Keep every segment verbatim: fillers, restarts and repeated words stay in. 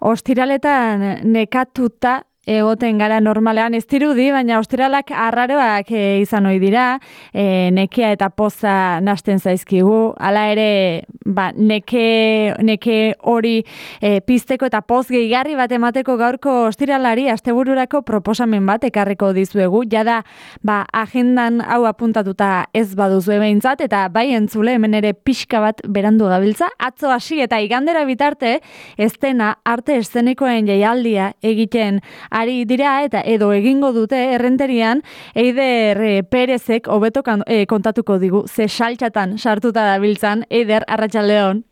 Ostiraletan nekatuta egoten gara normalean, ez dirudi, baina ostiralak arraroak e, izan ohi dira, e, nekea eta poza nasten zaizkigu, hala ere, ba, neke, neke hori e, pizteko eta poz gehigarri bat emateko gaurko ostiralari astebururako proposamen bat ekarriko dizuegu, jada, ba, agendan hau apuntatuta ez baduzu behintzat, eta bai entzule hemen ere pixka bat berandu gabiltza, atzo hasi eta igandera bitarte, estena arte eszenikoen jaialdia egiten ari dira eta edo egingo dute errenterian Eider e, Perezek hobeto e, kontatuko digu ze saltxatan sartuta dabiltzan. Eider, arratsaldeon.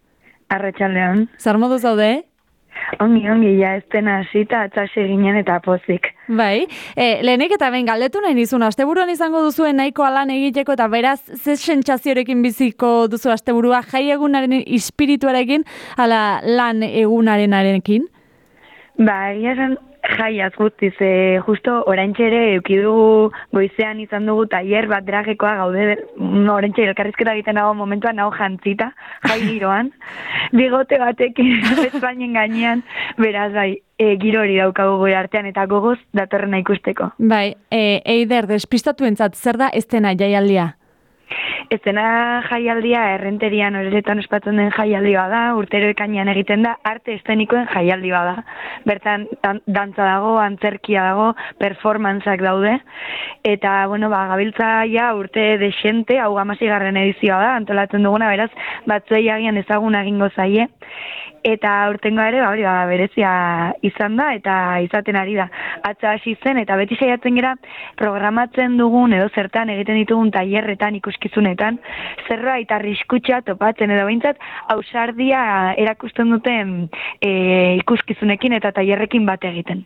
Arratsaldeon. Zer modu zaude? Ongi, ongi, ja ez dena hasita atzase ginen eta pozik. Bai, e, lehenik eta behin galdetu nahi nizun, asteburuan izango duzuen nahikoa lan egiteko eta beraz ze sentsaziorekin biziko duzu asteburua, jai egunaren espirituarekin ala lan egunarenarekin? Ba, egia esan jaiaz guztiz, e, justo oraintxe ere eukidugu goizean izan dugu tailer bat dragekoa gaude, oraintxe elkarrizketa egiten dago momentuan nago jantzita, jai giroan, bigote batekin Espainien gainean, beraz bai, e, giro hori daukagu goi artean eta gogoz datorrena ikusteko. Bai, e, Eider, despistatuentzat zer da estena jaialdia? Estena jaialdia errenterian horretan ospatzen den jaialdia da, urtero ekainean egiten da, arte estenikoen jaialdia da. Bertan dan, dantza dago, antzerkia dago, performantzak daude, eta, bueno, ba, gabiltza ja urte desente, hau amasigarren edizioa da, antolatzen duguna, beraz, batzuei agian ezaguna egingo zaie, eta urtengo ere, ba, hori, ba, berezia izan da, eta izaten ari da. Atza hasi zen, eta beti saiatzen gera programatzen dugun, edo zertan egiten ditugun tailerretan ikuskizunetan, zerbait arriskutsa topatzen edo behintzat ausardia erakusten duten e, ikuskizunekin eta tailerrekin bat egiten.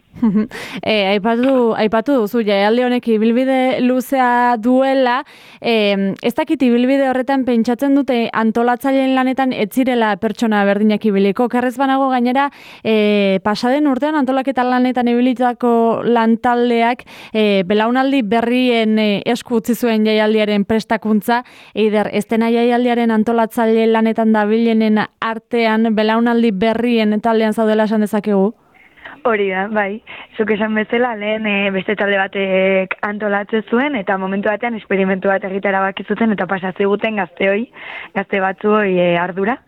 e, aipatu, aipatu duzu, jaialdi honek ibilbide luzea duela, e, ez dakit ibilbide horretan pentsatzen dute antolatzaileen lanetan ez zirela pertsona berdinak ibiliko, kerrez banago gainera e, pasaden urtean antolaketa lanetan ibilitako lantaldeak e, belaunaldi berrien e, esku utzi zuen jaialdiaren prestakuntza. Eider, estena jaialdiaren antolatzaile lanetan dabilenen artean belaunaldi berrien taldean zaudela esan dezakegu? Hori da, bai. Zuk esan bezala, lehen e, beste talde batek antolatzen zuen, eta momentu batean esperimentu bat egitera bakizuten, eta pasatziguten gazteoi, gazte batzuoi e, ardura,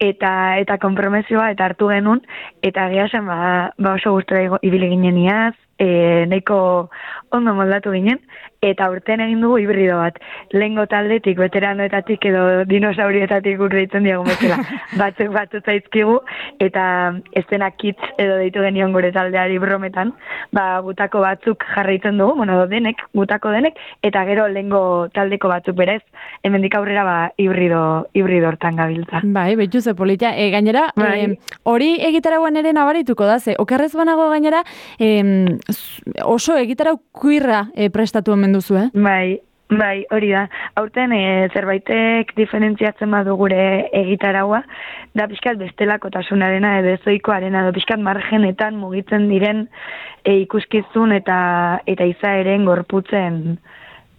eta eta konpromezioa, eta hartu genuen, eta egia esan, ba, ba oso gustora ibili ginen iaz, e, nahiko ondo moldatu ginen, eta urten egin dugu hibrido bat. Lehengo taldetik, veteranoetatik edo dinosaurietatik urreitzen diagun bezala. Batzuk batzu zaizkigu, eta estena kitz edo deitu genion gure taldeari brometan, ba, gutako batzuk jarraitzen dugu, bueno, denek, gutako denek, eta gero lehengo taldeko batzuk berez, hemendik aurrera ba, hibrido, hibrido hortan gabiltza. Bai, betxu ze polita. E, gainera, bai. e, hori egitaragoan ere nabarituko da, ze, okerrez banago gainera, e, oso egitarau kuirra e, prestatu omen duzu, eh? Bai, bai, hori da. Aurten e, zerbaitek diferentziatzen badu gure egitaraua, da pixkat bestelakotasunarena edo ezoikoarena, edo pixkat margenetan mugitzen diren e, ikuskizun eta eta izaeren gorputzen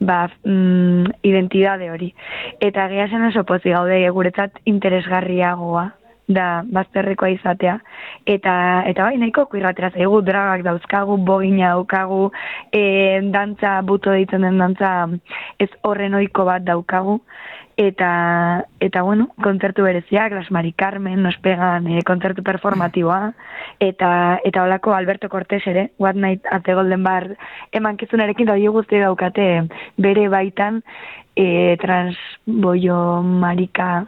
ba, mm, identidade hori. Eta gehasen oso pozik gaude guretzat interesgarriagoa da bazterrekoa izatea. Eta, eta bai, nahiko kuirratera zaigu, dragak dauzkagu, bogina daukagu, e, dantza, buto deitzen den dantza ez horren ohiko bat daukagu. Eta, eta bueno, kontzertu bereziak, Las Mari Carmen, nos pegan e, kontzertu performatiboa, eta eta holako Alberto Cortés ere, What Night at the Golden Bar, emankizunarekin da guzti daukate bere baitan e, transboio marika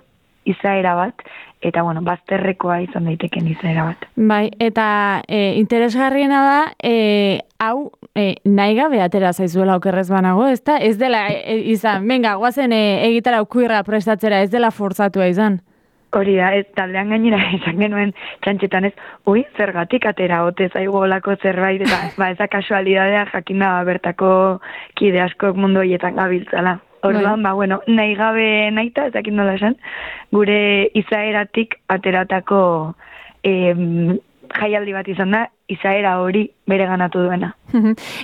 izaera bat, eta bueno, bazterrekoa izan daiteken izaera bat. Bai, eta e, interesgarriena da, e, hau e, nahi gabe atera zaizuela okerrez banago, ez da? Ez dela e, izan, venga, guazen e, egitara ukuirra prestatzera, ez dela forzatua izan. Hori da, ez taldean gainera esan genuen txantxetan ez, ui, zergatik atera ote zaigu olako zerbait, eta ba, eza kasualidadea jakin da bertako kide askok mundu horietan gabiltzala. Orduan, ba, bueno, nahi gabe nahita, ezakin nola esan, gure izaeratik ateratako eh, jaialdi bat izan da, izaera hori bere ganatu duena.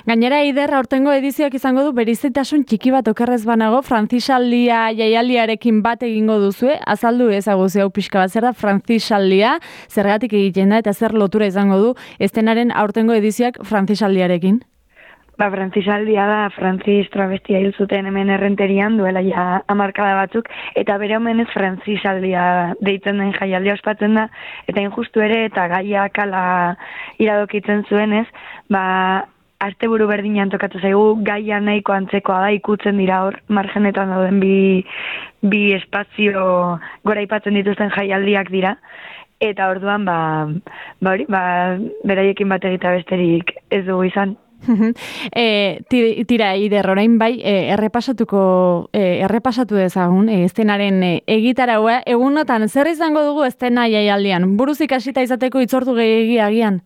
Gainera, Eider, aurtengo edizioak izango du berizitasun txiki bat okerrez banago, Frantzisaldia jaialdiarekin bat egingo duzue, azaldu ezaguzi hau pixka bat, zer da Frantzisaldia, zergatik egiten da, eta zer lotura izango du estenaren aurtengo edizioak Frantzisaldiarekin? Ba, Frantzisaldia da, Frantziz travestia hil zuten hemen errenterian, duela ja hamarkada batzuk, eta bere omenez Frantzisaldia deitzen den jaialdia ospatzen da, eta injustu ere, eta gaiak ala iradokitzen zuenez, ba, asteburu berdinean tokatu zaigu, gaia nahiko antzekoa da, ikutzen dira hor, margenetan dauden bi, bi espazio gora aipatzen dituzten jaialdiak dira, eta orduan, ba, ba, hori, ba, beraiekin bat egita besterik ez dugu izan. e, tira, Eider, orain bai, e, errepasatuko, e, errepasatu dezagun, e, estenaren e, egitaraua, egunotan, zer izango dugu estena jaialdian? Buruz ikasita izateko itzortu gehiagi agian?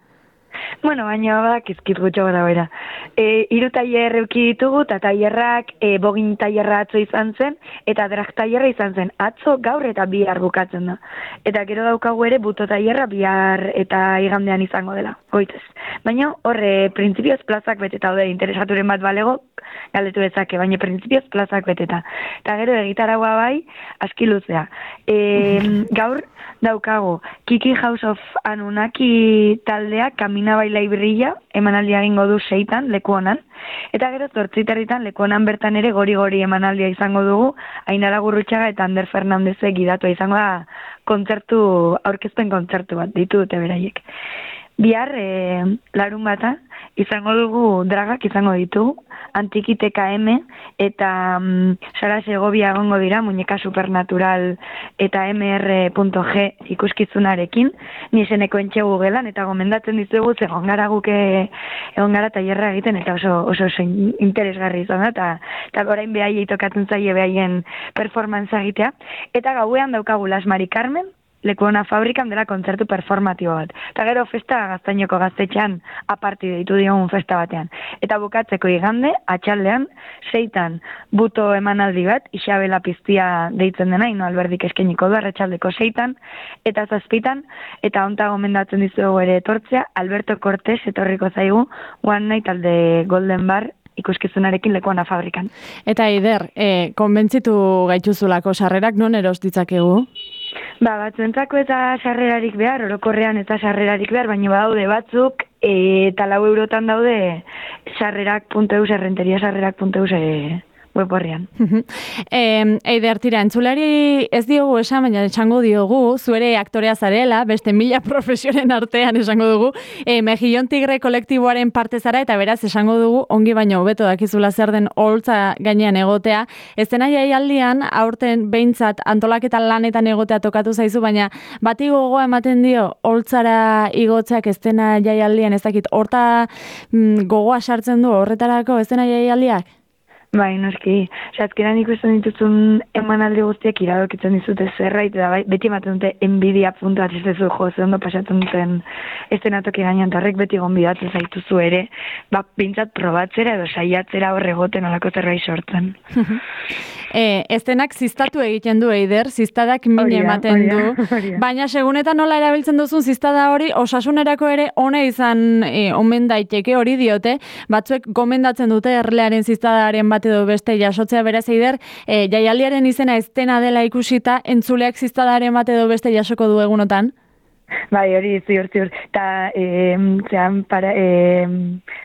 Bueno, baina badak izkit gutxo gara bera. E, iru tailer euki ditugu, eta tailerrak e, bogin tailerra atzo izan zen, eta drag tailerra izan zen. Atzo, gaur eta bihar bukatzen da. Eta gero daukagu ere buto tailerra bihar eta igandean izango dela, goitez. Baina horre, printzipioz plazak beteta daude, interesaturen bat balego, galdetu dezake, baina printzipioz plazak beteta. Eta gero egitaragoa bai, aski luzea. E, gaur daukagu, Kiki House of Anunnaki taldea, Kamina Baila Ibrilla, emanaldia egingo du seitan, leku honan. Eta gero zortziterritan, leku honan bertan ere gori-gori emanaldia izango dugu, Ainara Gurrutxaga eta Ander Fernandezek gidatua izango da kontzertu, aurkezpen kontzertu bat, ditu dute beraiek. Bihar, e, larun bata, izango dugu dragak izango ditugu, Antikiteka M eta um, Sara Segovia egongo dira, muñeka supernatural eta M R punto G ikuskizunarekin, ni eseneko entxegu gelan, eta gomendatzen dizugu, egon gara guke, egon gara tailerra egiten, eta oso, oso, oso interesgarri izan da, eta, eta orain behaiei tokatzen zaie behaien performance egitea, eta gauean daukagu Las Mari Carmen, Lekuona fabrikan dela kontzertu performatibo bat. Eta gero festa Gaztainoko gaztetxean aparti deitu diogun festa batean. Eta bukatzeko igande, atxaldean, seitan buto emanaldi bat, Isabela Piztia deitzen dena, ino alberdik eskeniko du, arratsaldeko seitan, eta zazpitan, eta onta gomendatzen dizugu ere etortzea, Alberto Cortés etorriko zaigu, One Night alde Golden Bar, ikuskizunarekin Lekuona fabrikan. Eta Eider, e, konbentzitu gaituzulako sarrerak non eros ditzakegu? Ba, batzuentzako eta sarrerarik behar, orokorrean eta sarrerarik behar, baina badaude batzuk, e, eta lau eurotan daude sarrerak puntu eus, errenteria sarrerak puntu eus e, web horrian. e, Eider, tira, entzulari ez diogu esan, baina esango diogu, zuere aktorea zarela, beste mila profesionen artean esango dugu, e, Mejillon Tigre kolektiboaren parte zara, eta beraz esango dugu, ongi baino hobeto dakizula zer den oholtza gainean egotea. Estena jaialdian, aurten behintzat antolaketa lanetan egotea tokatu zaizu, baina bati gogoa ematen dio oholtzara igotzeak estena jaialdian, ez dakit, horta mm, gogoa sartzen du horretarako estena jaialdiak? Bai, noski. Osa, azkeran ikusten dituzun emanaldi guztiak iradokitzen dizute zerbait, eta bai, beti ematen dute enbidia puntu bat ez duzu jo, ze ondo pasatzen duten estenatoki gainean, tarrek beti gonbidatzen zaituzu ere, ba, bintzat probatzera edo saiatzera horregoten olako zerbait sortzen. E, estenak ziztatu egiten du, Eider, ziztadak min ematen du, baina segunetan nola erabiltzen duzun ziztada hori, osasunerako ere one izan e, omen daiteke hori diote, batzuek gomendatzen dute erlearen ziztadaren bat edo beste jasotzea, beraz, Eider, e, jaialdiaren izena estena dela ikusita, entzuleak ziztadaren bat edo beste jasoko du egunotan? Bai, hori ziur, ziur. Eta, e, zean, para, e,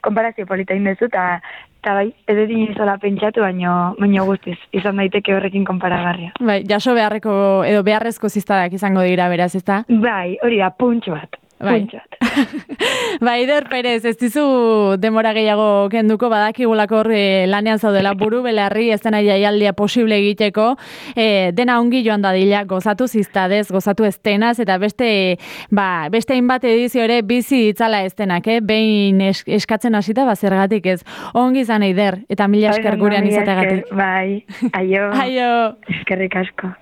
konparazio polita indezu, eta eta bai, ez dut inizola pentsatu, baino, baino guztiz, izan daiteke horrekin konparagarria. Bai, jaso beharreko edo beharrezko ziztadak izango dira, beraz, ezta? Bai, hori da, puntxo bat. Bai. Ba, Eider Perez, ez dizu demora gehiago kenduko, badakigulako hor e, lanean zaudela buru belarri estena jaialdia posible egiteko, e, dena ongi joan dadila, gozatu ziztadez, gozatu estenaz, eta beste, ba, beste hainbat edizio ere bizi itzala estenak, eh? Behin es, eskatzen hasita, ba, zergatik ez. Ongi izan, Eider, eta mila esker gurean izategatik. Bai, aio. Aio. Eskerrik asko.